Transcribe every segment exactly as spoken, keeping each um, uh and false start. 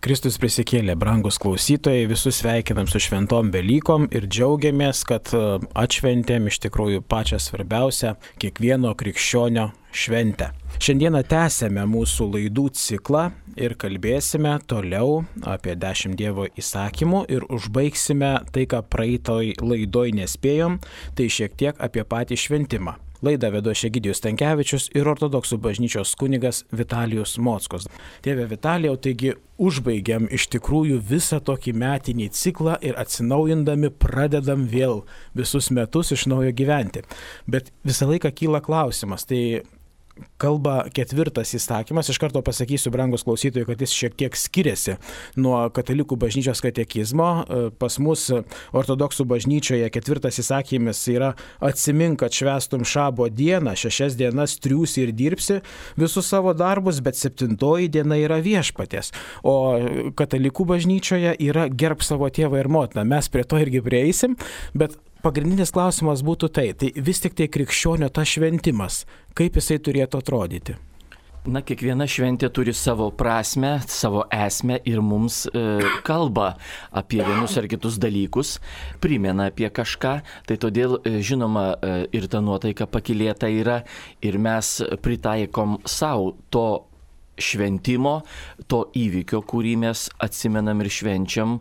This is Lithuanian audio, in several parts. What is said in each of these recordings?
Kristus prisikėlė, brangus klausytojai, visus sveikinam su šventom Velykom ir džiaugiamės, kad atšventėm iš tikrųjų pačią svarbiausią kiekvieno krikščionio šventę. Šiandieną tęsėme mūsų laidų ciklą ir kalbėsime toliau apie dešimt Dievo įsakymų ir užbaigsime tai, ką praeitoj laidoj nespėjom, tai šiek tiek apie patį šventimą. Laidą vedu Egidijus Stankevičius ir ortodoksų bažnyčios kunigas Vitalijus Mockos. Tėve Vitalijau, taigi užbaigiam iš tikrųjų visą tokį metinį ciklą ir atsinaujindami pradedam vėl visus metus iš naujo gyventi. Bet visą laiką kyla klausimas, tai kalba ketvirtas įsakymas, iš karto pasakysiu, brangus klausytojai, kad jis šiek tiek skiriasi nuo katalikų bažnyčios katekizmo. Pas mus ortodoksų bažnyčioje ketvirtas įsakymas yra atsimink, kad švęstum šabo dieną, šešias dienas triūsi ir dirbsi visus savo darbus, bet septintoji diena yra viešpaties. O katalikų bažnyčioje yra gerb savo tėvą ir motiną. Mes prie to irgi prieisim, bet pagrindinis klausimas būtų tai, tai vis tik tai krikščionio tas šventimas, kaip jisai turėtų atrodyti? Na, kiekviena šventė turi savo prasmę, savo esmę ir mums e, kalba apie vienus ar kitus dalykus, primena apie kažką, tai todėl, e, žinoma, e, ir ta nuotaika pakilėta yra ir mes pritaikom savo to šventimo, to įvykio, kurį mes atsimenam ir švenčiam,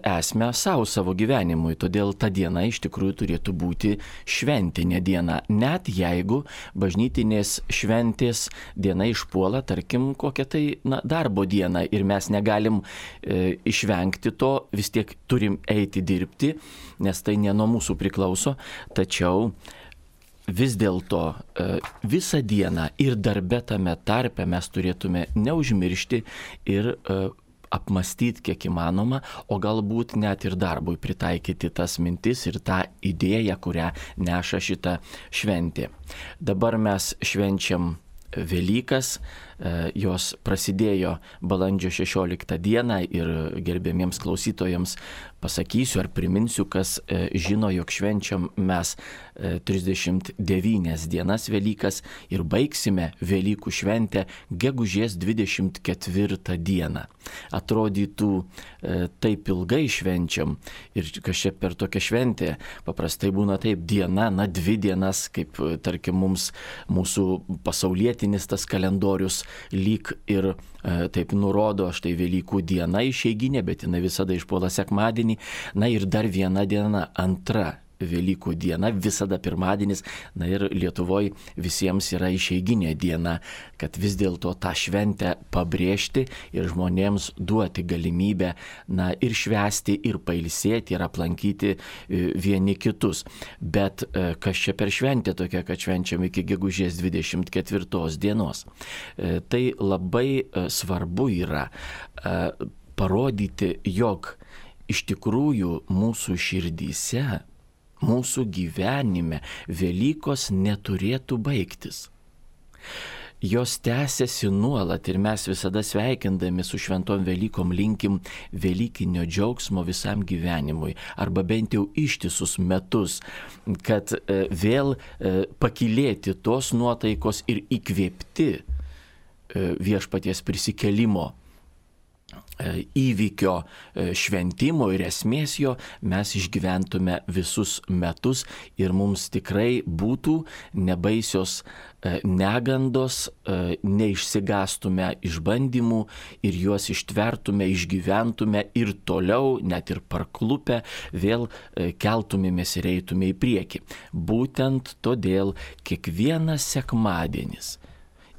esmę savo savo gyvenimui. Todėl ta diena iš tikrųjų turėtų būti šventinė diena. Net jeigu bažnytinės šventės diena išpuola, tarkim, kokią tai na, darbo dieną ir mes negalim e, išvengti to, vis tiek turim eiti dirbti, nes tai ne nuo mūsų priklauso. Tačiau vis dėlto e, visą dieną ir darbe tame tarpe mes turėtume neužmiršti ir e, apmastyti kiek įmanoma, o galbūt net ir darbui pritaikyti tas mintis ir tą idėją, kurią neša šita šventė. Dabar mes švenčiam Velykas, jos prasidėjo balandžio šešioliktą dieną ir gerbėmiems klausytojams pasakysiu ar priminsiu, kas žino, jog švenčiam mes trisdešimt devynias dienas Velykas ir baigsime Velykų šventę gegužės dvidešimt ketvirtą dieną. Atrodytų taip ilgai švenčiam ir kas čia per tokią šventę, paprastai būna taip diena, na dvi dienas, kaip tarkim mums mūsų pasaulietinis tas kalendorius lyg ir e, taip nurodo, štai Velykų diena išeiginė, bet jinai visada išpuola sekmadienį, na ir dar viena diena, antra Velykų diena, visada pirmadienis, na ir Lietuvoje visiems yra išeiginė diena, kad vis dėlto tą šventę pabrėžti ir žmonėms duoti galimybę, na ir švęsti, ir pailsėti, ir aplankyti vieni kitus. Bet kas čia per šventė tokia, kad švenčiam iki gegužės dvidešimt ketvirtos dienos? Tai labai svarbu yra parodyti, jog iš tikrųjų mūsų širdyse, mūsų gyvenime Velykos neturėtų baigtis. Jos tęsiasi nuolat ir mes visada sveikindami su šventom Velykom linkim velykinio džiaugsmo visam gyvenimui arba bent jau ištisus metus, kad e, vėl e, pakilėti tos nuotaikos ir įkvėpti e, viešpaties prisikėlimo įvykio šventimo ir esmės jo mes išgyventume visus metus ir mums tikrai būtų nebaisios negandos, neišsigastume išbandymų ir juos ištvertume, išgyventume ir toliau, net ir parklupę, vėl keltumėmės ir eitume į priekį. Būtent todėl kiekvienas sekmadienis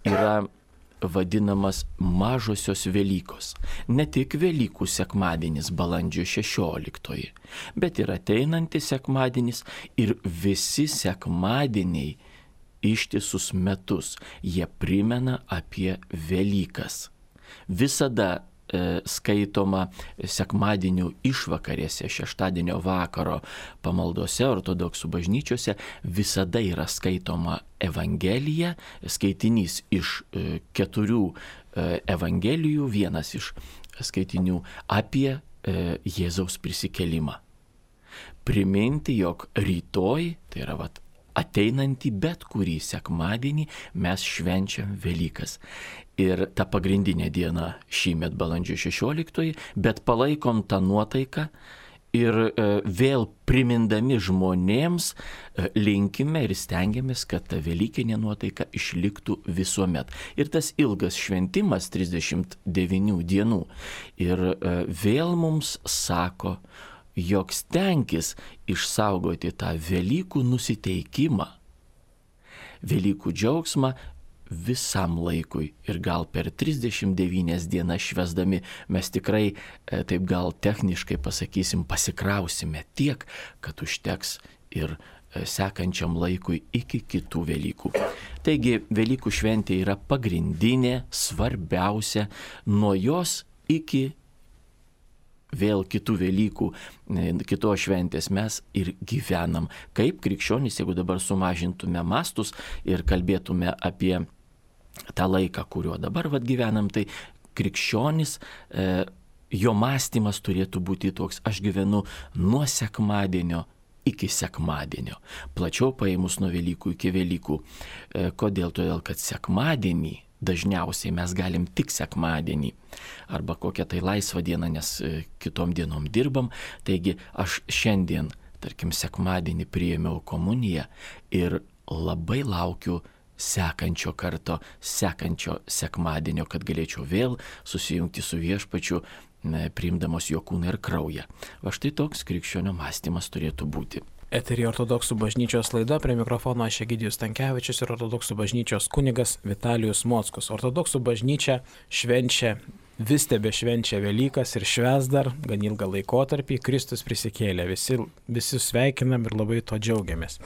yra vadinamas mažosios Velykos. Ne tik Velykų sekmadienis balandžio šešioliktoji, bet ir ateinantis sekmadienis ir visi sekmadieniai ištisus metus. Jie primena apie Velykas. Visada skaitoma sekmadienių išvakarėse, šeštadienio vakaro pamaldose ortodoksų bažnyčiose visada yra skaitoma Evangelija, skaitinys iš keturių Evangelijų, vienas iš skaitinių apie Jėzaus prisikėlimą. Priminti, jog rytoj, tai yra vat, ateinantį bet kurį sekmadienį mes švenčiam Velykas. Ir ta pagrindinė diena šįmet balandžio šešioliktoji, bet palaikom tą nuotaiką ir e, vėl primindami žmonėms e, linkime ir stengiamės, kad ta velykinė nuotaika išliktų visuomet. Ir tas ilgas šventimas trisdešimt devynių dienų ir e, vėl mums sako, jog stenkis išsaugoti tą Velykų nusiteikimą, Velykų džiaugsmą visam laikui. Ir gal per trisdešimt devynias dienas švęsdami mes tikrai, taip gal techniškai pasakysim, pasikrausime tiek, kad užteks ir sekančiam laikui iki kitų Velykų. Taigi Velykų šventė yra pagrindinė, svarbiausia, nuo jos iki vėl kitų Velykų, kitos šventės mes ir gyvenam. Kaip krikščionys, jeigu dabar sumažintume mastus ir kalbėtume apie tą laiką, kuriuo dabar vat gyvenam, tai krikščionis, e, jo mąstymas turėtų būti toks, aš gyvenu nuo sekmadienio iki sekmadienio. Plačiau paėmus nuo Velykų iki Velykų. E, kodėl? Todėl, kad sekmadienį dažniausiai mes galim tik sekmadienį arba kokią tai laisvą dieną, nes kitom dienom dirbam. Taigi aš šiandien, tarkim, sekmadienį priėmiau komuniją ir labai laukiu sekančio karto, sekančio sekmadienio, kad galėčiau vėl susijungti su Viešpačiu, priimdamos jo kūną ir kraują. Va štai toks krikščionio mąstymas turėtų būti. Eterį Ortodoksų bažnyčios laida, prie mikrofono aš Egidijus Stankevičius ir Ortodoksų bažnyčios kunigas Vitalijus Mockus. Ortodoksų bažnyčia švenčia, vis tebe švenčia Velykas ir švęs dar gan ilgą laikotarpį, Kristus prisikėlė, visi, visi sveikinam ir labai to džiaugiamės.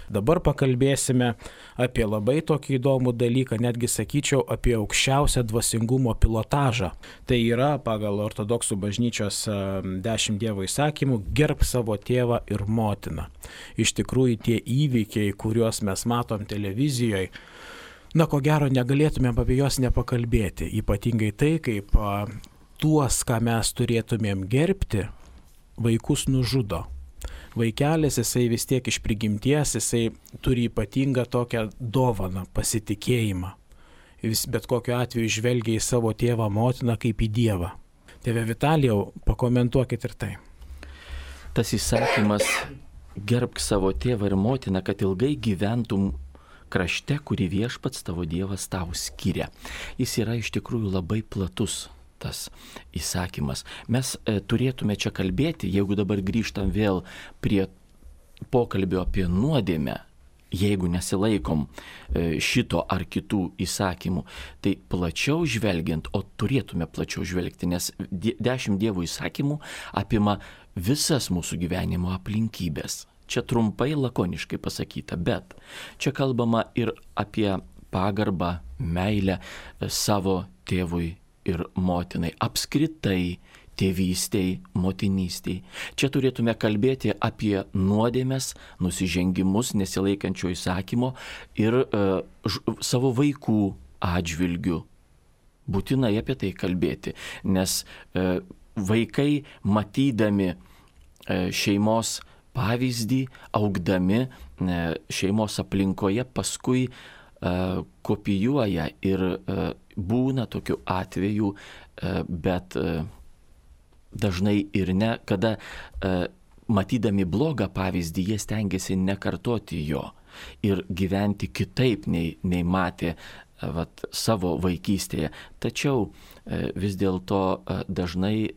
Dabar pakalbėsime apie labai tokį įdomų dalyką, netgi sakyčiau apie aukščiausią dvasingumo pilotažą. Tai yra pagal Ortodoksų bažnyčios dešimt Dievo įsakymų gerb savo tėvą ir motiną. Iš tikrųjų tie įvykiai, kuriuos mes matom televizijoje, na ko gero negalėtume apie juos nepakalbėti. Ypatingai tai, kaip a, tuos, ką mes turėtumėm gerbti, vaikus nužudo. Vaikelis, jisai vis tiek iš prigimties, jisai turi ypatingą tokią dovaną, pasitikėjimą. Jis bet kokiu atveju žvelgia į savo tėvą, motiną kaip į Dievą. Tėve Vitalijau, pakomentuokit ir tai. Tas įsakymas gerbk savo tėvą ir motiną, kad ilgai gyventum krašte, kurį Viešpats tavo Dievas tau skiria. Jis yra iš tikrųjų labai platus. Tas įsakymas. Mes e, turėtume čia kalbėti, jeigu dabar grįžtam vėl prie pokalbio apie nuodėmę, jeigu nesilaikom e, šito ar kitų įsakymų, tai plačiau žvelgiant, o turėtume plačiau žvelgti, nes die, dešimt Dievo įsakymų apima visas mūsų gyvenimo aplinkybės. Čia trumpai, lakoniškai pasakyta, bet čia kalbama ir apie pagarbą, meilę savo tėvui ir motinai, apskritai tėvystei, motinystei. Čia turėtume kalbėti apie nuodėmes, nusižengimus nesilaikančio įsakymo ir e, ž, savo vaikų atžvilgių. Būtinai apie tai kalbėti, nes e, vaikai matydami e, šeimos pavyzdį, augdami e, šeimos aplinkoje, paskui kopijuoja ir būna tokių atvejų, bet dažnai ir ne, kada matydami blogą pavyzdį jie stengiasi nekartoti jo ir gyventi kitaip nei, nei matė vat, savo vaikystėje. Tačiau vis dėlto dažnai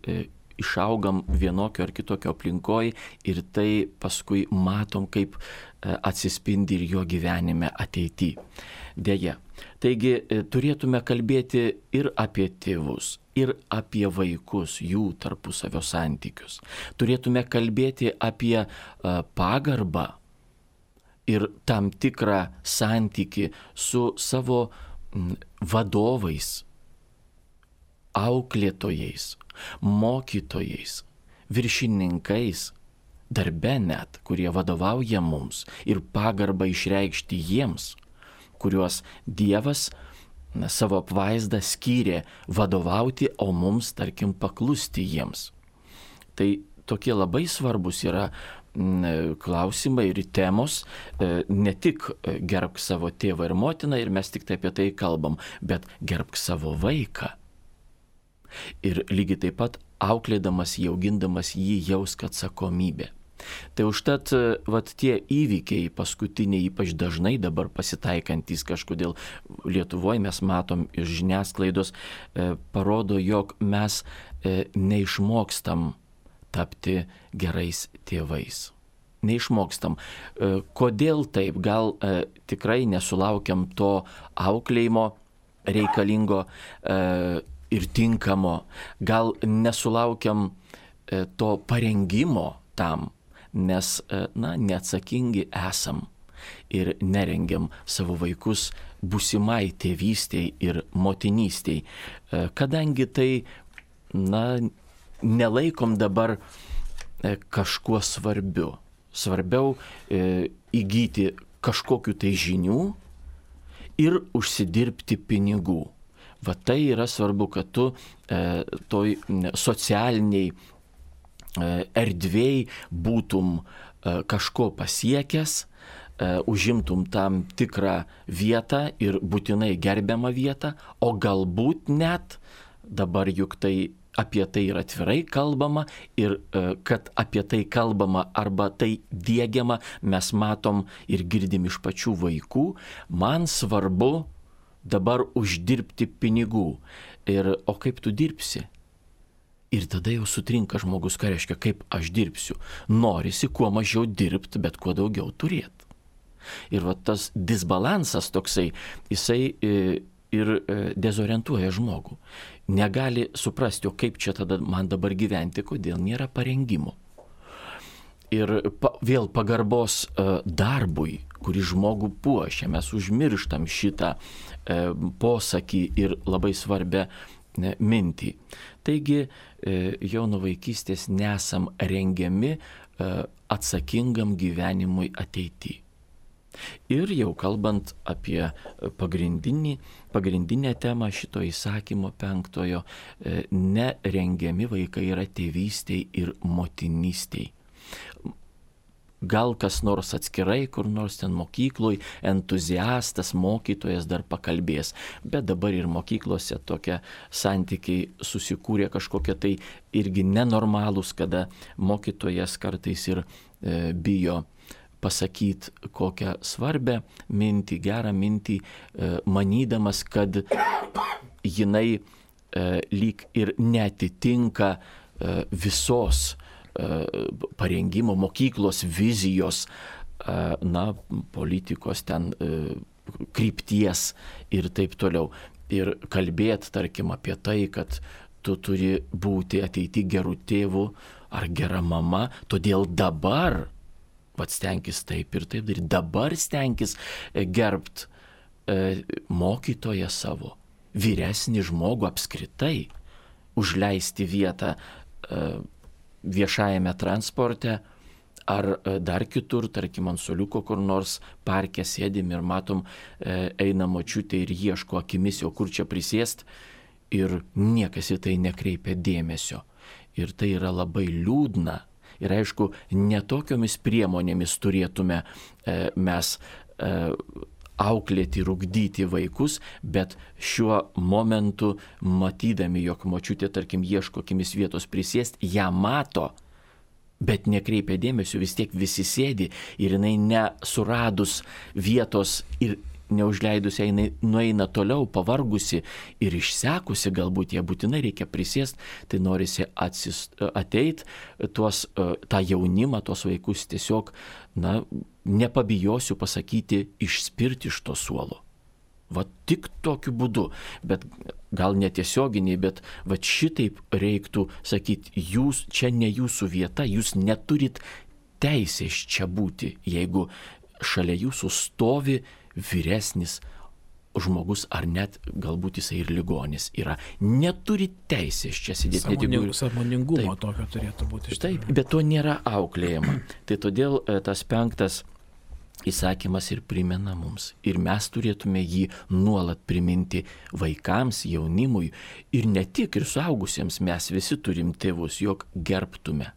išaugam vienokio ar kitokio aplinkoj ir tai paskui matom, kaip atsispindi ir jo gyvenime ateityje. Deja. Taigi turėtume kalbėti ir apie tėvus, ir apie vaikus, jų tarpusavio santykius. Turėtume kalbėti apie pagarbą ir tam tikrą santykį su savo vadovais, auklėtojais, mokytojais, viršininkais, darbe net, kurie vadovauja mums, ir pagarbą išreikšti jiems, kuriuos Dievas na, savo apvaizdą skyrė vadovauti, o mums, tarkim, paklusti jiems. Tai tokie labai svarbus yra klausimai ir temos, ne tik gerbk savo tėvą ir motiną ir mes tik tai apie tai kalbam, bet gerbk savo vaiką. Ir lygiai taip pat auklėdamas, jaugindamas jį jausk atsakomybę. Tai užtat vat, tie įvykiai paskutiniai, ypač dažnai dabar pasitaikantis kažkodėl Lietuvoje, mes matom iš žiniasklaidos, e, parodo, jog mes e, neišmokstam tapti gerais tėvais. Neišmokstam. E, kodėl taip? Gal e, tikrai nesulaukiam to auklėjimo reikalingo e, ir tinkamo. Gal nesulaukiam e, to parengimo tam, nes, na, neatsakingi esam ir nerengiam savo vaikus būsimai tėvystei ir motinystei. Kadangi tai, na, nelaikom dabar kažkuo svarbiu. Svarbiau e, įgyti kažkokiu tai žinių ir užsidirbti pinigų. Va tai yra svarbu, kad tu e, toj socialiniai erdvėj būtum kažko pasiekęs, užimtum tam tikrą vietą ir būtinai gerbiamą vietą, o galbūt net, dabar juk tai apie tai ir atvirai kalbama ir kad apie tai kalbama arba tai diegiama, mes matom ir girdim iš pačių vaikų, man svarbu dabar uždirbti pinigų. Ir o kaip tu dirbsi? Ir tada jau sutrinka žmogus, ką reiškia, kaip aš dirbsiu. Norisi kuo mažiau dirbti, bet kuo daugiau turėti. Ir va tas disbalansas toksai, jisai ir dezorientuoja žmogų. Negali suprasti, o kaip čia tada man dabar gyventi, kodėl nėra parengimo. Ir pa, vėl pagarbos darbui, kurį žmogų puošia, mes užmirštam šitą posakį ir labai svarbę mintį. Taigi jau nuo vaikystės nesam rengiami atsakingam gyvenimui ateityje. Ir jau kalbant apie pagrindinį, pagrindinę temą šito įsakymo penktojo, nerengiami vaikai yra tėvystei ir motinystei. Gal kas nors atskirai, kur nors ten mokykloj, entuziastas, mokytojas dar pakalbės, bet dabar ir mokyklose tokie santykiai susikūrė kažkokie tai irgi nenormalūs, kada mokytojas kartais ir e, bijo pasakyti kokią svarbę mintį, gerą mintį, e, manydamas, kad jinai e, lyg ir neatitinka e, visos parengimo, mokyklos vizijos, na, politikos ten krypties ir taip toliau. Ir kalbėti, tarkim, apie tai, kad tu turi būti ateity gerų tėvų ar gera mama, todėl dabar pats stenkis taip ir taip daryti, dabar stenkis gerbt mokytoją savo, vyresnį žmogų apskritai, užleisti vietą viešajame transporte ar dar kitur, tarkim, ant suoliuko kur nors parke sėdim ir matom, eina močiutė ir ieško akimis, o kur čia prisėst, ir niekas į tai nekreipia dėmesio. Ir tai yra labai liūdna. Ir aišku, netokiomis priemonėmis turėtume mes auklėti ir ugdyti vaikus, bet šiuo momentu, matydami, jog močiutė, tarkim, ieško akimis vietos prisėst, ją mato, bet nekreipia dėmesio, vis tiek visi sėdi ir jinai nesuradus vietos ir neužleidus, jinai nueina toliau, pavargusi ir išsekusi, galbūt ją būtinai reikia prisėst, tai norisi atsist, ateit tuos, tą jaunimą, tuos vaikus tiesiog, na, nepabijosiu pasakyti, išspirti iš to suolo. Va tik tokiu būdu, bet gal netiesioginiai, bet va šitaip reiktų sakyti, jūs čia ne jūsų vieta, jūs neturit teisės čia būti, jeigu šalia jūsų stovi vyresnis žmogus, ar net galbūt jisai ir ligonis yra. Neturi teisės čia sėdėti. Sąmoning, sąmoningumo tokio turėtų būti. Taip, bet to nėra auklėjama. Tai todėl tas penktas įsakymas ir primena mums. Ir mes turėtume jį nuolat priminti vaikams, jaunimui ir ne tik ir suaugusiems, mes visi turim tėvus, jog gerbtume.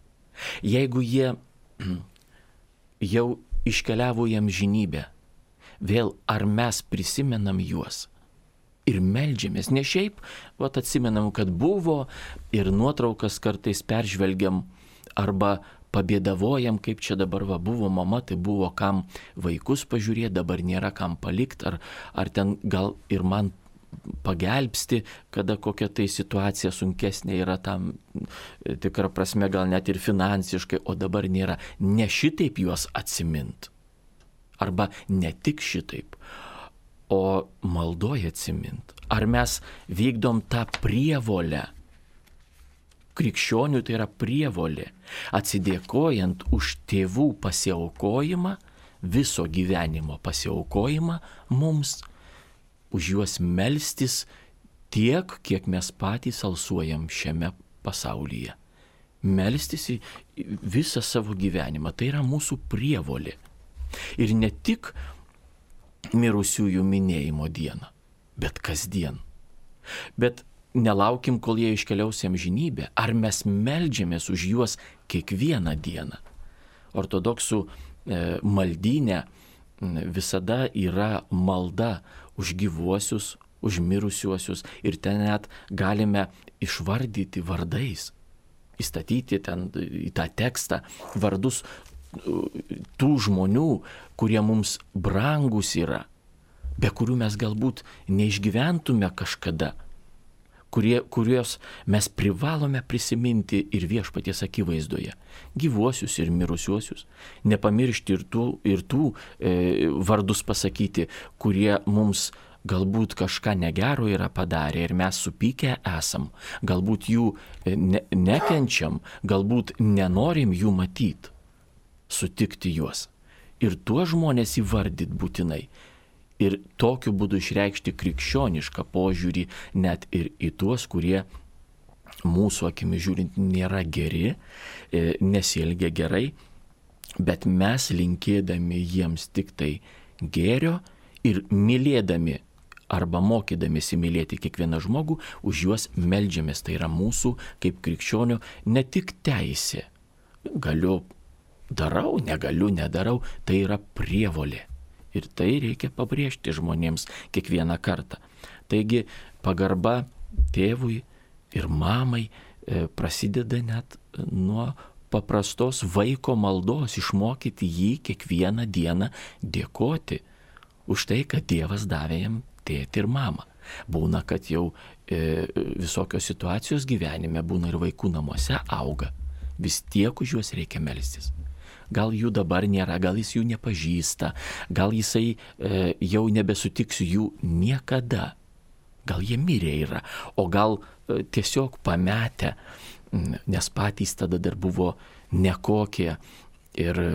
Jeigu jie jau iškeliavo į amžinybę, vėl ar mes prisimenam juos ir meldžiamės, ne šiaip, vat atsimenam, kad buvo ir nuotraukas kartais peržvelgiam arba pabėdavojam, kaip čia dabar va buvo mama, tai buvo kam vaikus pažiūrėti, dabar nėra kam palikti, ar, ar ten gal ir man pagelbsti, kada kokia tai situacija sunkesnė yra tam tikrą prasme, gal net ir finansiškai, o dabar nėra. Ne šitaip juos atsimint. Arba ne tik šitaip, o maldoje atsimint. Ar mes vykdom tą prievolę? Krikščionių tai yra prievolė, atsidėkojant už tėvų pasiaukojimą, viso gyvenimo pasiaukojimą mums, už juos melstis tiek, kiek mes patys alsuojam šiame pasaulyje. Melstis į visą savo gyvenimą, tai yra mūsų prievolė. Ir ne tik mirusiųjų minėjimo dieną, bet kasdien. Bet nelaukim, kol jie iškeliaus į amžinybę, ar mes meldžiamės už juos kiekvieną dieną. Ortodoksų e, maldyne visada yra malda už gyvuosius, už mirusiuosius ir ten net galime išvardyti vardais, įstatyti ten į tą tekstą vardus tų žmonių, kurie mums brangus yra, be kurių mes galbūt neišgyventume kažkada, kurie, kuriuos mes privalome prisiminti ir viešpaties akivaizdoje. Gyvuosius ir mirusiuosius. Nepamiršti ir tų, ir tų e, vardus pasakyti, kurie mums galbūt kažką negero yra padarę ir mes supykę esam. Galbūt jų ne, nekenčiam, galbūt nenorim jų matyti. Sutikti juos. Ir tuos žmonės įvardyti būtinai. Ir tokiu būdu išreikšti krikščionišką požiūrį net ir į tuos, kurie mūsų akimi žiūrint nėra geri, nesielgia gerai, bet mes linkėdami jiems tik tai gėrio ir mylėdami arba mokydamėsi mylėti kiekvieną žmogų, už juos meldžiamės. Tai yra mūsų kaip krikščionių ne tik teisė. Galiu, darau, negaliu, nedarau, tai yra prievolė. Ir tai reikia pabrėžti žmonėms kiekvieną kartą. Taigi pagarba tėvui ir mamai e, prasideda net nuo paprastos vaiko maldos, išmokyti jį kiekvieną dieną dėkoti už tai, kad Dievas davė jam tėtį ir mamą. Būna, kad jau e, visokios situacijos gyvenime, būna ir vaikų namuose auga. Vis tiek už juos reikia melstis. Gal jų dabar nėra, gal jis jų nepažįsta, gal jisai e, jau nebesutiks jų niekada. Gal jie mirė yra, o gal e, tiesiog pametę, nes patys tada dar buvo nekokie. Ir e,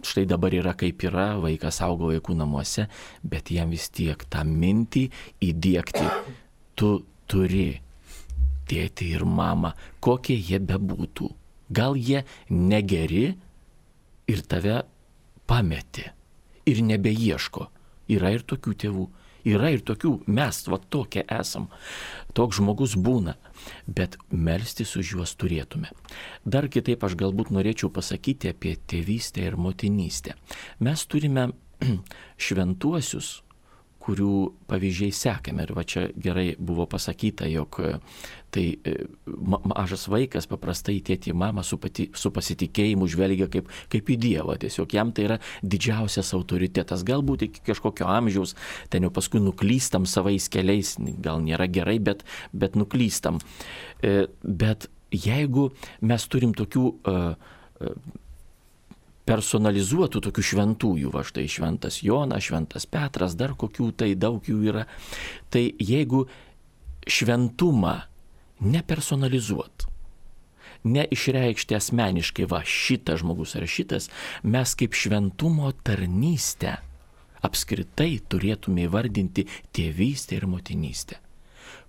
štai dabar yra kaip yra, vaikas augo vaikų namuose, bet jam vis tiek tą mintį įdiegti. Tu turi tėtį ir mamą, kokie jie bebūtų. Gal jie negeri, ir tave pametė ir nebeieško. Yra ir tokių tėvų, yra ir tokių, mes va tokie esam. Toks žmogus būna, bet melstis už juos turėtume. Dar kitaip aš galbūt norėčiau pasakyti apie tėvystę ir motinystę. Mes turime šventuosius, kurių pavyzdžiai sekame. Ir va čia gerai buvo pasakyta, jog tai mažas vaikas paprastai tėtį mamą su, pati, su pasitikėjimu žvelgia kaip, kaip į Dievą. Tiesiog jam tai yra didžiausias autoritetas. Galbūt iki kažkokio amžiaus ten jau paskui nuklystam savais keliais, gal nėra gerai, bet, bet nuklystam. Bet jeigu mes turim tokių personalizuotų tokių šventųjų, va štai šventas Jonas, šventas Petras, dar kokių tai daug jų yra, tai jeigu šventumą nepersonalizuot, neišreikšti asmeniškai, va šitas žmogus ar šitas, mes kaip šventumo tarnystę apskritai turėtume įvardinti tėvystę ir motinystę.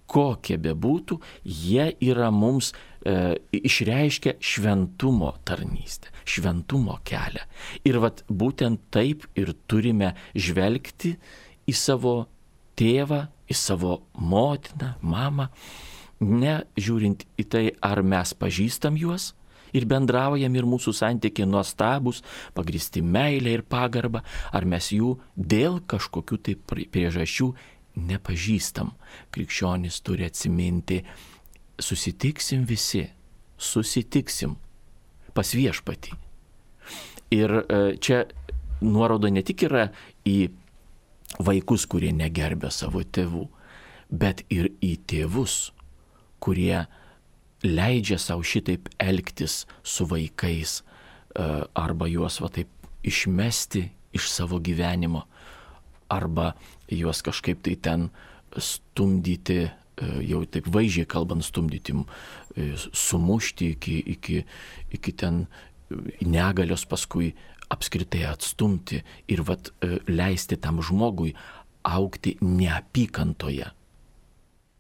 Kokie bebūtų, jie yra mums e, išreiškia šventumo tarnystę, šventumo kelią. Ir vat būtent taip ir turime žvelgti į savo tėvą, į savo motiną, mamą, ne žiūrint į tai, ar mes pažįstam juos ir bendraujam ir mūsų santykiai nuostabus, pagristi meilė ir pagarba, ar mes jų dėl kažkokių tai priežasčių nepažįstam. Krikščionis turi atsiminti, susitiksim visi, susitiksim pas viešpatį. Ir čia nuoroda ne tik yra į vaikus, kurie negerbia savo tėvų, bet ir į tėvus, kurie leidžia savo šitaip elgtis su vaikais arba juos va taip išmesti iš savo gyvenimo, arba juos kažkaip tai ten stumdyti, jau taip vaizdžiai kalbant, stumdyti, sumušti iki, iki, iki ten negalios, paskui apskritai atstumti ir vat leisti tam žmogui augti neapykantoje,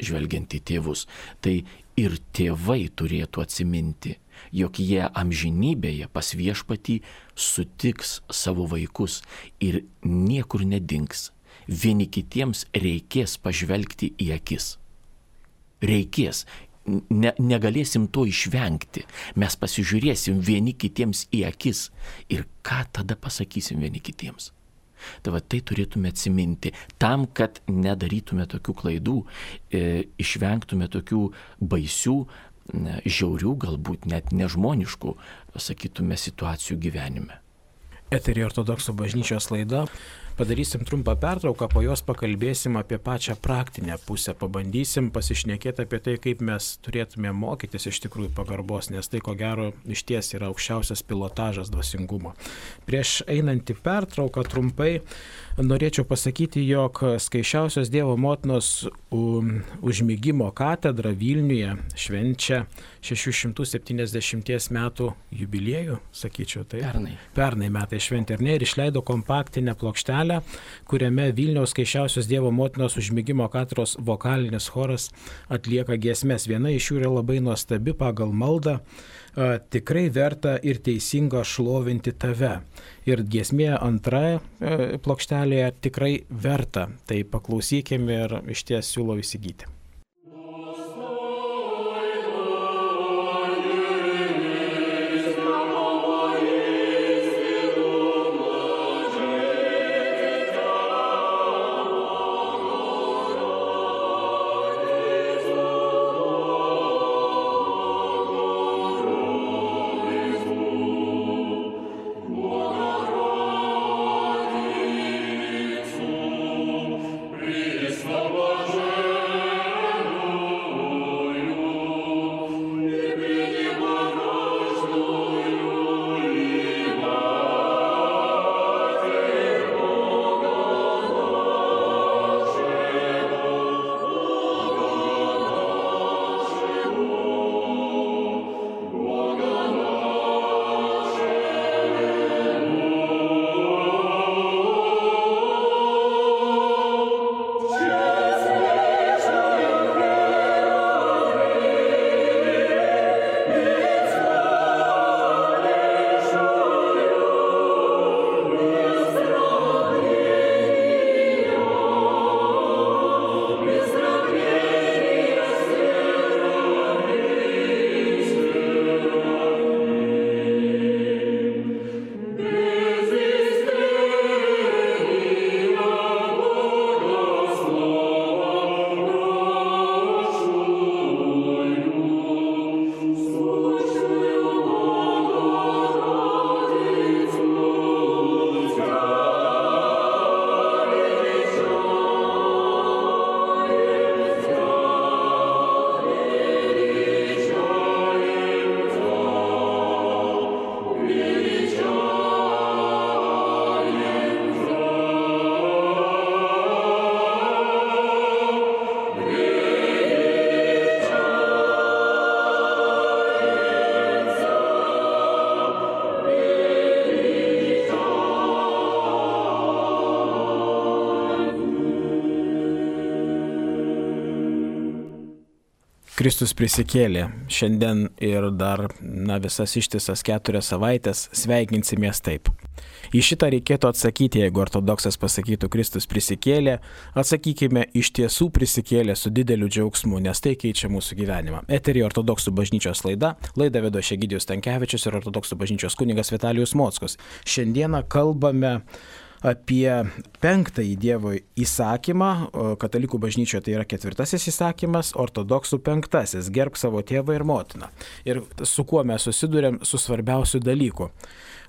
žvelgiant į tėvus. Tai ir tėvai turėtų atsiminti, jog jie amžinybėje pas viešpatį sutiks savo vaikus ir niekur nedings. Vieni kitiems reikės pažvelgti į akis. Reikės. Ne, negalėsim to išvengti. Mes pasižiūrėsim vieni kitiems į akis ir ką tada pasakysim vieni kitiems. Tai va tai turėtume atsiminti, tam, kad nedarytume tokių klaidų, e, išvengtume tokių baisių, ne, žiaurių, galbūt net nežmoniškų, sakytume, situacijų gyvenime. Eterį Ortodoksų bažnyčios laida. Padarysim trumpą pertrauką, po jos pakalbėsim apie pačią praktinę pusę, pabandysim pasišnekėti apie tai, kaip mes turėtume mokytis iš tikrųjų pagarbos, nes tai ko gero iš ties yra aukščiausias pilotažas dvasingumo. Prieš einant į pertrauką trumpai norėčiau pasakyti, jog Skaisčiausios Dievo motinos užmigimo katedra Vilniuje švenčia šešių šimtų septyniasdešimties metų jubiliejų, sakyčiau, tai pernai. Pernai metai šventė, ar ne, ir išleido kompaktinę plokštelę, kuriame Vilniaus Skaisčiausios Dievo motinos užmigimo katedros vokalinis choras atlieka giesmes. Viena iš jų yra labai nuostabi pagal maldą, tikrai verta ir teisinga šlovinti tave. Ir giesmė antra plokštelėje tikrai verta. Tai paklausykime ir iš ties siūlau įsigyti. Слава Kristus prisikėlė. Šiandien ir dar na, visas ištisas keturias savaitės sveikinsimės taip. Į šitą reikėtų atsakyti, jeigu ortodoksas pasakytų Kristus prisikėlė, atsakykime iš tiesų prisikėlė su dideliu džiaugsmu, nes tai keičia mūsų gyvenimą. Eterį ortodoksų bažnyčios laida, laidą vedo Egidijus Stankevičius ir ortodoksų bažnyčios kunigas Vitalijus Mockus. Šiandieną kalbame apie penktąjį Dievo įsakymą, katalikų bažnyčioje tai yra ketvirtasis įsakymas, ortodoksų penktasis, gerbk savo tėvą ir motiną. Ir su kuo mes susidurėm su svarbiausiu dalyku,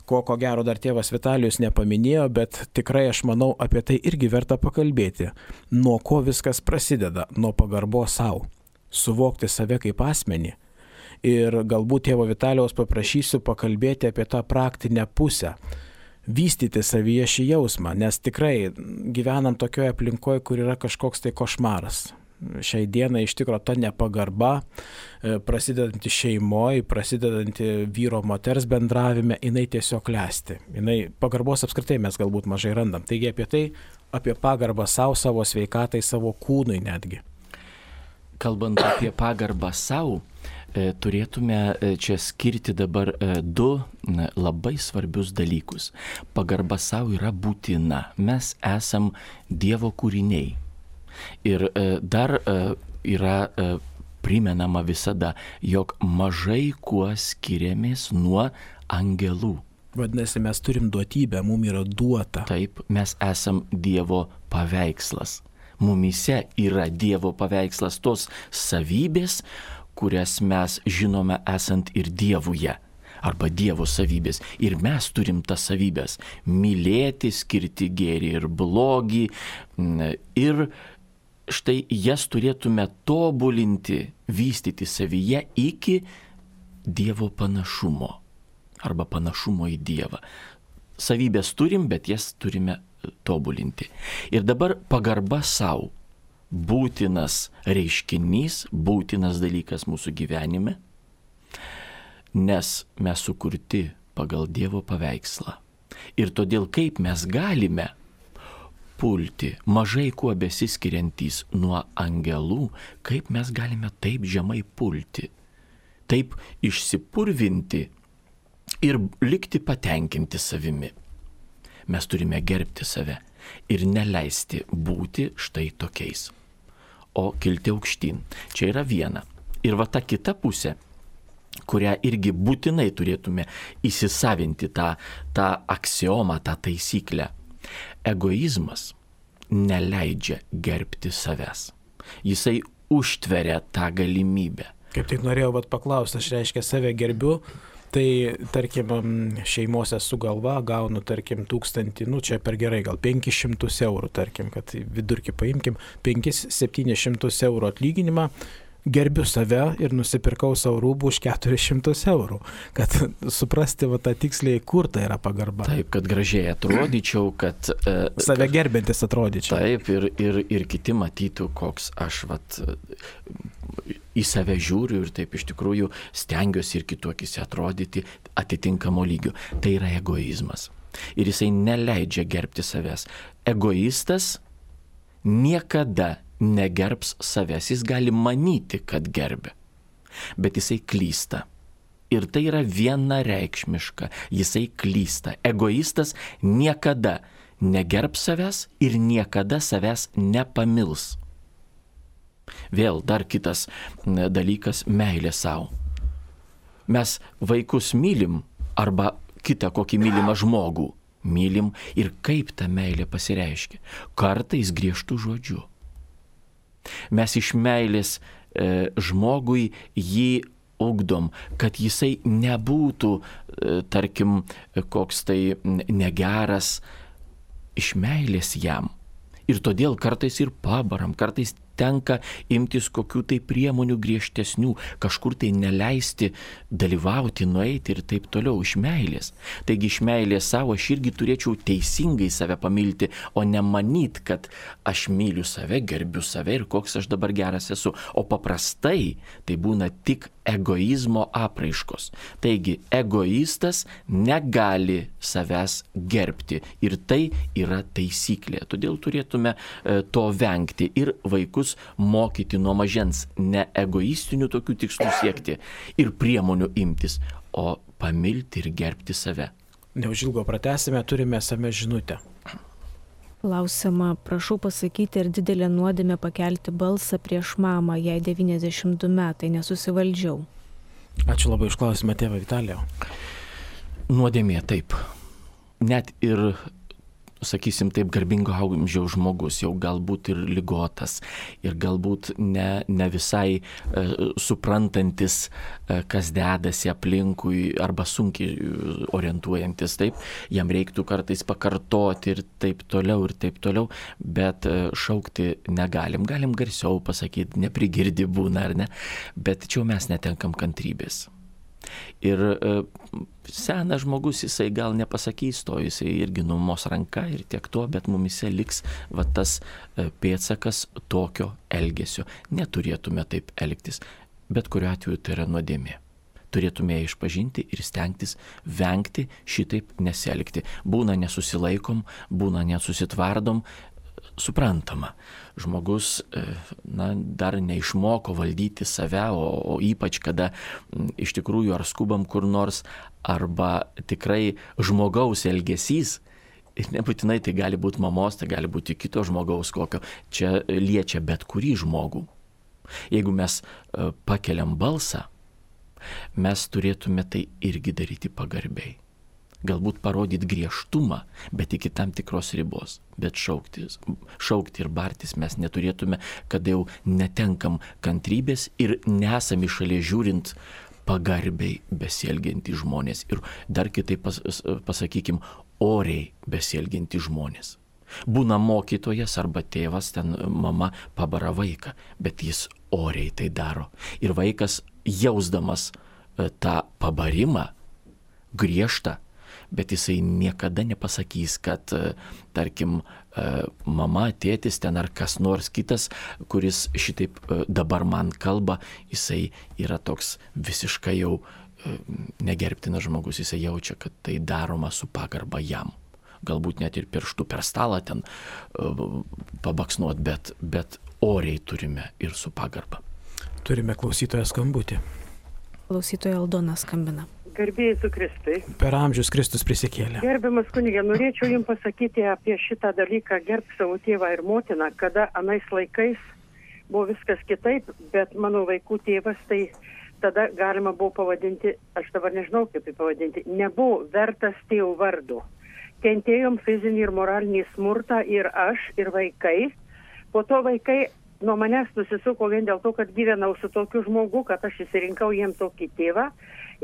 ko ko gero dar tėvas Vitalijus nepaminėjo, bet tikrai aš manau apie tai irgi verta pakalbėti. Nuo ko viskas prasideda? Nuo pagarbos savo, suvokti save kaip asmenį. Ir galbūt tėvo Vitalijaus paprašysiu pakalbėti apie tą praktinę pusę. Vystyti savyje šį jausmą, nes tikrai gyvenam tokioje aplinkoje, kur yra kažkoks tai košmaras. Šiai dienai iš tikro ta nepagarba, prasidedanti šeimoje, prasidedanti vyro moters bendravime, jinai tiesiog klesti. Jinai, pagarbos apskritai mes galbūt mažai randam. Taigi apie tai, apie pagarbą savo, savo sveikatai, savo kūnui netgi. Kalbant apie pagarbą savo, turėtume čia skirti dabar du labai svarbius dalykus. Pagarba savo yra būtina. Mes esam Dievo kūriniai. Ir dar yra primenama visada, jog mažai kuo skiriamės nuo angelų. Vadinasi, mes turim duotybę, mums yra duota. Taip, mes esam Dievo paveikslas. Mumyse yra Dievo paveikslas, tos savybės, kurias mes žinome esant ir Dievuje, arba Dievo savybės. Ir mes turim tas savybės - mylėti, skirti gėrį ir blogį. Ir štai jas turėtume tobulinti, vystyti savyje iki Dievo panašumo, arba panašumo į Dievą. Savybės turim, bet jas turime tobulinti. Ir dabar pagarba savo. Būtinas reiškinys, būtinas dalykas mūsų gyvenime, nes mes sukurti pagal Dievo paveikslą. Ir todėl kaip mes galime pulti, mažai kuo besiskiriantys nuo angelų, kaip mes galime taip žemai pulti, taip išsipurvinti ir likti patenkinti savimi. Mes turime gerbti save ir neleisti būti štai tokiais, o kilti aukštyn. Čia yra viena. Ir va ta kita pusė, kurią irgi būtinai turėtume įsisavinti tą, tą aksiomą, tą taisyklę. Egoizmas neleidžia gerbti savęs. Jisai užtveria tą galimybę. Kaip tik norėjau vat paklausti, aš reiškia save gerbiu, tai tarkim šeimose su galva gaunu tarkim tūkstantį, nu čia per gerai, gal penkis šimtus eurų, tarkim, kad vidurkį paimkim, penkis septynis šimtus eurų atlyginimą, gerbiu save ir nusipirkau savo rūbų už keturis šimtus eurų, kad suprasti va tą tiksliai, kur tai yra pagarba. Taip, kad gražiai atrodyčiau, kad... Uh, save gerbintis atrodyčiau. Taip, ir, ir, ir kiti matytų, koks aš vat, į save žiūriu ir taip iš tikrųjų stengiuosi ir kitokiuose atrodyti atitinkamo lygio. Tai yra egoizmas. Ir jisai neleidžia gerbti savęs. Egoistas niekada negerbs savęs. Jis gali manyti, kad gerbia, bet jisai klysta. Ir tai yra vienareikšmiška. Jisai klysta. Egoistas niekada negerbs savęs ir niekada savęs nepamils. Vėl dar kitas dalykas - meilė savo. Mes vaikus mylim arba kitą kokį mylimą žmogų mylim ir kaip ta meilė pasireiškia. Kartais griežtų žodžių. Mes iš meilės e, žmogui jį ugdom, kad jisai nebūtų, e, tarkim, koks tai negeras, iš meilės jam. Ir todėl kartais ir pabaram, kartais tenka imtis kokių tai priemonių griežtesnių, kažkur tai neleisti dalyvauti, nueiti ir taip toliau iš meilės. Taigi iš meilės savo aš irgi turėčiau teisingai save pamilti, o ne manyt, kad aš myliu save, gerbiu save ir koks aš dabar geras esu. O paprastai tai būna tik egoizmo apraiškos. Taigi egoistas negali savęs gerbti ir tai yra taisyklė. Todėl turėtume to vengti ir vaikus vaikus mokyti nuo mažens ne egoistinių tokių tikslų siekti ir priemonių imtis, o pamilti ir gerbti save. Neužilgo pratęsime, turime esame žinutę. Klausiama, prašau pasakyti, ar didelė nuodėmė pakelti balsą prieš mamą, jai devyniasdešimt du metai, nesusivaldžiau. Ačiū labai už klausimą, tėvą Vitalijau. Nuodėmė taip. Net ir, sakysim taip, garbingo amžiaus žmogus, jau galbūt ir ligotas, ir galbūt ne, ne visai e, suprantantis, e, kas dedasi aplinkui, arba sunkiai orientuojantis, taip, jam reiktų kartais pakartoti ir taip toliau, ir taip toliau, bet e, šaukti negalim. Galim garsiau pasakyti, neprigirdi būna, ar ne, bet čia mes netenkam kantrybės. Ir e, senas žmogus, jisai gal nepasakys to, jisai irgi numos ranka ir tiek to, bet mumise liks va tas e, pėdsakas tokio elgesio. Neturėtume taip elgtis, bet kuriuo atveju tai yra nuodėmė. Turėtume ją išpažinti ir stengtis vengti šitaip nesielgti. Būna nesusilaikom, būna nesusitvardom, suprantama. Žmogus na, dar neišmoko valdyti save, o, o ypač kada m, iš tikrųjų ar skubam kur nors, arba tikrai žmogaus elgesys, ir nebūtinai tai gali būti mamos, tai gali būti kito žmogaus kokio, čia liečia bet kurį žmogų. Jeigu mes e, pakeliam balsą, mes turėtume tai irgi daryti pagarbiai. Galbūt parodyti griežtumą, bet iki tam tikros ribos. Bet šaukti, šaukti ir bartis mes neturėtume, kada jau netenkam kantrybės ir nesame šalia žiūrint pagarbiai besielgiantys žmonės. Ir dar kitaip pas, pasakykim, oriai besielgiantys žmonės. Būna mokytojas arba tėvas, ten mama pabara vaiką, bet jis oriai tai daro. Ir vaikas jausdamas tą pabarimą, griežtą, bet jisai niekada nepasakys, kad, tarkim, mama, tėtis ten ar kas nors kitas, kuris šitaip dabar man kalba, jisai yra toks visiškai jau negerbtinas žmogus, jisai jaučia, kad tai daroma su pagarba jam. Galbūt net ir pirštų per stalą ten pabaksnuot, bet, bet oriai turime ir su pagarba. Turime klausytoją skambutį. Klausytoja Aldona skambina. Garbėjai su Kristui. Per amžius Kristus prisikėlė. Gerbiamas kunigė, norėčiau jums pasakyti apie šitą dalyką, gerb savo tėvą ir motiną, kada anais laikais buvo viskas kitaip, bet mano vaikų tėvas, tai tada galima buvo pavadinti, aš dabar nežinau kaip jį pavadinti, nebuvo vertas tėvų vardu. Kentėjom fizinį ir moralinį smurtą ir aš, ir vaikai. Po to vaikai nuo manęs nusisuko vien dėl to, kad gyvenau su tokiu žmogu, kad aš įsirinkau jiem tokį tėvą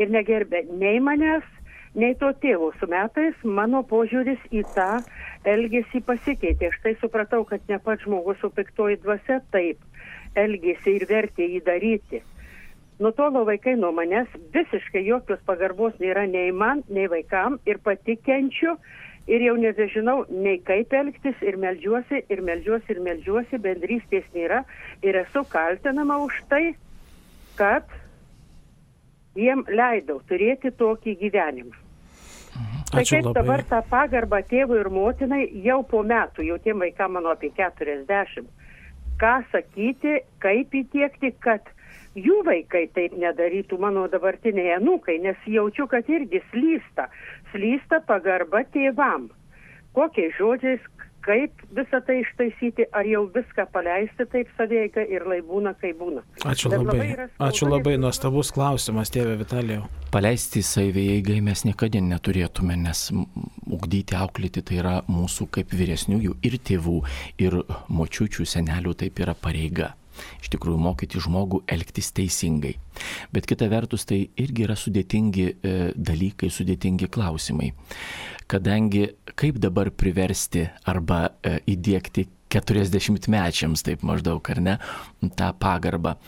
ir negerbė nei manęs, nei to tėvo. Su metais mano požiūris į tą elgesį pasikeitė. Aš tai supratau, kad ne pats žmogus, o piktoji dvasia taip elgėsi ir vertė jį daryti. Nutolo vaikai nuo manęs, visiškai jokios pagarbos nėra nei man, nei vaikam, ir pati kenčiu. Ir jau nebežinau nei kaip elgtis, ir meldžiuosi, ir meldžiuosi, ir meldžiuosi, bendrystės nėra. Ir esu kaltinama už tai, kad jiem leidau turėti tokį gyvenimą. Ačiū Tai kaip labai. dabar tą pagarbą tėvui ir motinai jau po metų, jau tiem vaikam mano apie keturiasdešimt, ką sakyti, kaip įtiekti, kad jų vaikai taip nedarytų, mano dabartiniai anūkai, nes jaučiu, kad irgi slysta, slysta pagarba tėvam. Kokiais žodžiais, kaip visą tai ištaisyti, ar jau viską paleisti taip saveiga ir lai būna, kaip būna. Ačiū Bet labai. labai yra skaudu, Ačiū labai, nes- nuostabus klausimas, tėve Vitalijau. Paleisti savieigai mes niekada neturėtume, nes m- ugdyti, auklėti tai yra mūsų kaip vyresniųjų ir tėvų, ir močiučių, senelių taip yra pareiga. Iš tikrųjų, mokyti žmogų elgtis teisingai. Bet kita vertus, tai irgi yra sudėtingi e, dalykai, sudėtingi klausimai. Kadangi kaip dabar priversti arba e, įdėkti keturiasdešimtmečiams, taip maždaug, ar ne, tą pagarbą.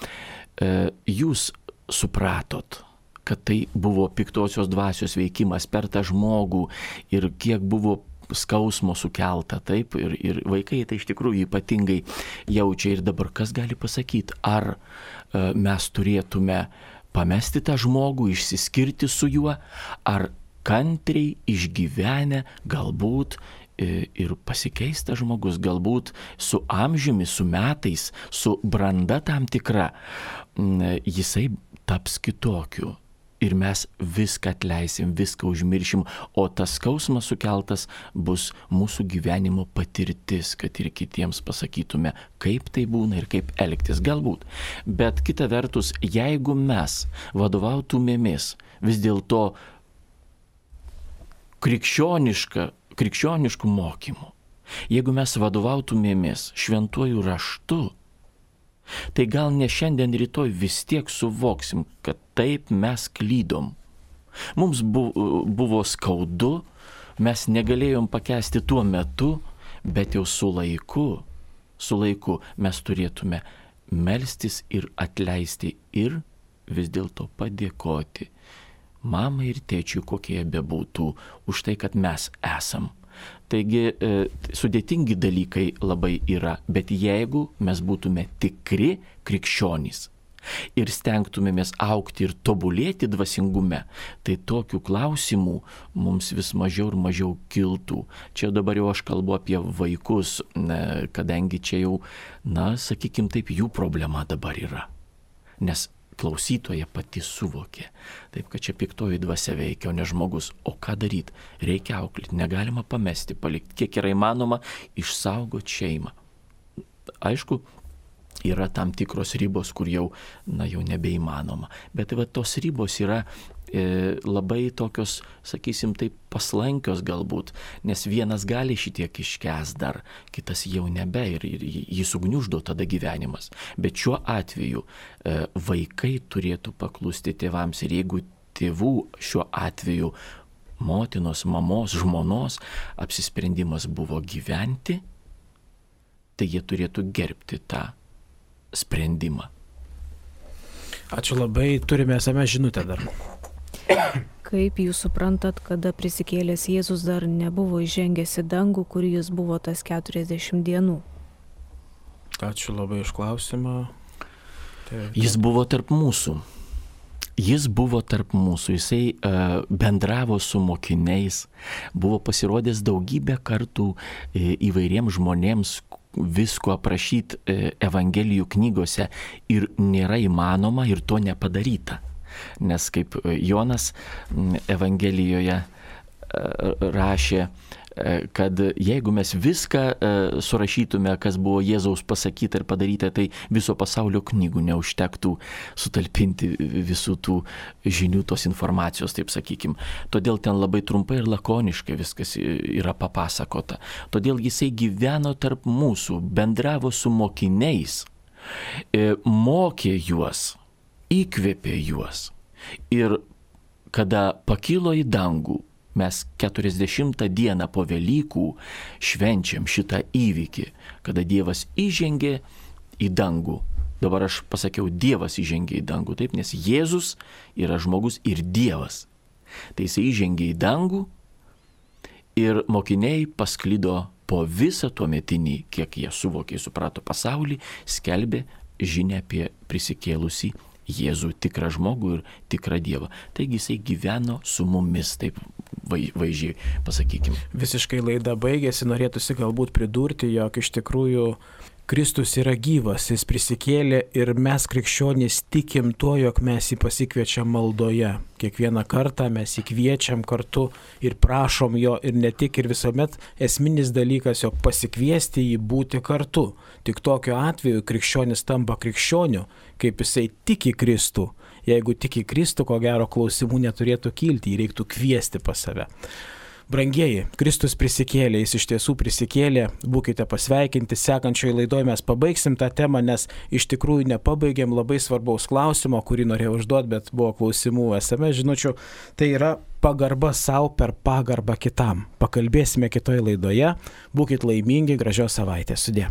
E, jūs supratot, kad tai buvo piktosios dvasios veikimas per tą žmogų ir kiek buvo skausmo sukelta, taip, ir, ir vaikai tai iš tikrųjų ypatingai jaučia. Ir dabar kas gali pasakyti, ar e, mes turėtume pamesti tą žmogų, išsiskirti su juo, ar kantriai išgyvenę galbūt ir pasikeista žmogus, galbūt su amžiumi, su metais, su branda tam tikra, jisai taps kitokiu. Ir mes viską atleisim, viską užmiršim, o tas skausmas sukeltas bus mūsų gyvenimo patirtis, kad ir kitiems pasakytume, kaip tai būna ir kaip elgtis galbūt. Bet kita vertus, jeigu mes vadovautumėmės vis dėlto krikščioniška, krikščioniškų mokymų, jeigu mes vadovautumėmės šventuoju raštu, tai gal ne šiandien, rytoj vis tiek suvoksim, kad taip mes klydom. Mums buvo skaudu, mes negalėjom pakęsti tuo metu, bet jau su laiku, su laiku mes turėtume melstis ir atleisti ir vis dėlto padėkoti mamai ir tėčiui, kokie jie bebūtų, už tai, kad mes esam. Taigi e, sudėtingi dalykai labai yra, bet jeigu mes būtume tikri krikščionys ir stengtumėmės augti ir tobulėti dvasingume, tai tokių klausimų mums vis mažiau ir mažiau kiltų. Čia dabar jau aš kalbu apie vaikus, ne, kadangi čia jau, na, sakykim taip, jų problema dabar yra. Nes klausytoja pati suvokė, taip kad čia piktoji dvasia veikia, o ne žmogus. O ką daryti? Reikia auklėti, negalima pamesti, palikti, kiek yra įmanoma išsaugoti šeimą. Aišku, yra tam tikros ribos, kur jau, na, jau nebeįmanoma. Bet va, tos ribos yra e, labai tokios, sakysim, taip paslankios galbūt, nes vienas gali šitiek iškęs dar, kitas jau nebe ir, ir jį sugniuždo tada gyvenimas. Bet šiuo atveju e, vaikai turėtų paklusti tėvams ir jeigu tėvų šiuo atveju motinos, mamos, žmonos apsisprendimas buvo gyventi, tai jie turėtų gerbti tą sprendimą. Ačiū labai, turime esame žinutę dar. Kaip jūs suprantat, kada prisikėlęs Jėzus dar nebuvo įžengęs į dangų, kur jis buvo tas keturiasdešimt dienų? Ačiū labai iš klausimą. Tai... Jis buvo tarp mūsų. Jis buvo tarp mūsų, jisai uh, bendravo su mokiniais, buvo pasirodęs daugybę kartų uh, įvairiems žmonėms, visko aprašyti uh, Evangelijų knygose ir nėra įmanoma ir to nepadaryta. Nes kaip Jonas Evangelijoje uh, rašė, kad jeigu mes viską surašytume, kas buvo Jėzaus pasakyta ir padaryta, tai viso pasaulio knygų neužtektų sutalpinti visų tų žinių, tos informacijos, taip sakykim. Todėl ten labai trumpai ir lakoniškai viskas yra papasakota. Todėl jisai gyveno tarp mūsų, bendravo su mokiniais, mokė juos, įkvėpė juos. Ir kada pakilo į dangų, mes keturiasdešimtą dieną po Velykų švenčiam šitą įvykį, kada Dievas įžengė į dangų. Dabar aš pasakiau, Dievas įžengė į dangų, taip, nes Jėzus yra žmogus ir Dievas. Tai jis įžengė į dangų ir mokiniai pasklido po visą tuometinį, kiek jie suvokė, suprato pasaulį, skelbė žinią apie prisikėlusį Jėzų, tikrą žmogų ir tikrą Dievą. Taigi jisai gyveno su mumis, taip vaizdžiai pasakykim. Visiškai laida baigėsi, norėtųsi galbūt pridurti, jog iš tikrųjų Kristus yra gyvas, jis prisikėlė ir mes krikščionys tikim tuo, jog mes jį pasikviečiam maldoje. Kiekvieną kartą mes jį kviečiam kartu ir prašom jo ir ne tik, ir visuomet esminis dalykas, jog pasikviesti jį būti kartu. Tik tokiu atveju krikščionis tampa krikščioniu, kaip jisai tiki Kristų. Jeigu tiki Kristų, ko gero klausimų neturėtų kilti, jį reiktų kviesti pas save. Brangieji, Kristus prisikėlė, jis iš tiesų prisikėlė, būkite pasveikinti, sekančioje laidoje mes pabaigsim tą temą, nes iš tikrųjų nepabaigėm labai svarbaus klausimo, kurį norėjau užduoti, bet buvo klausimų es em es žinučių, tai yra pagarba savo per pagarbą kitam. Pakalbėsime kitoje laidoje, būkite laimingi, gražios savaitės, sudie.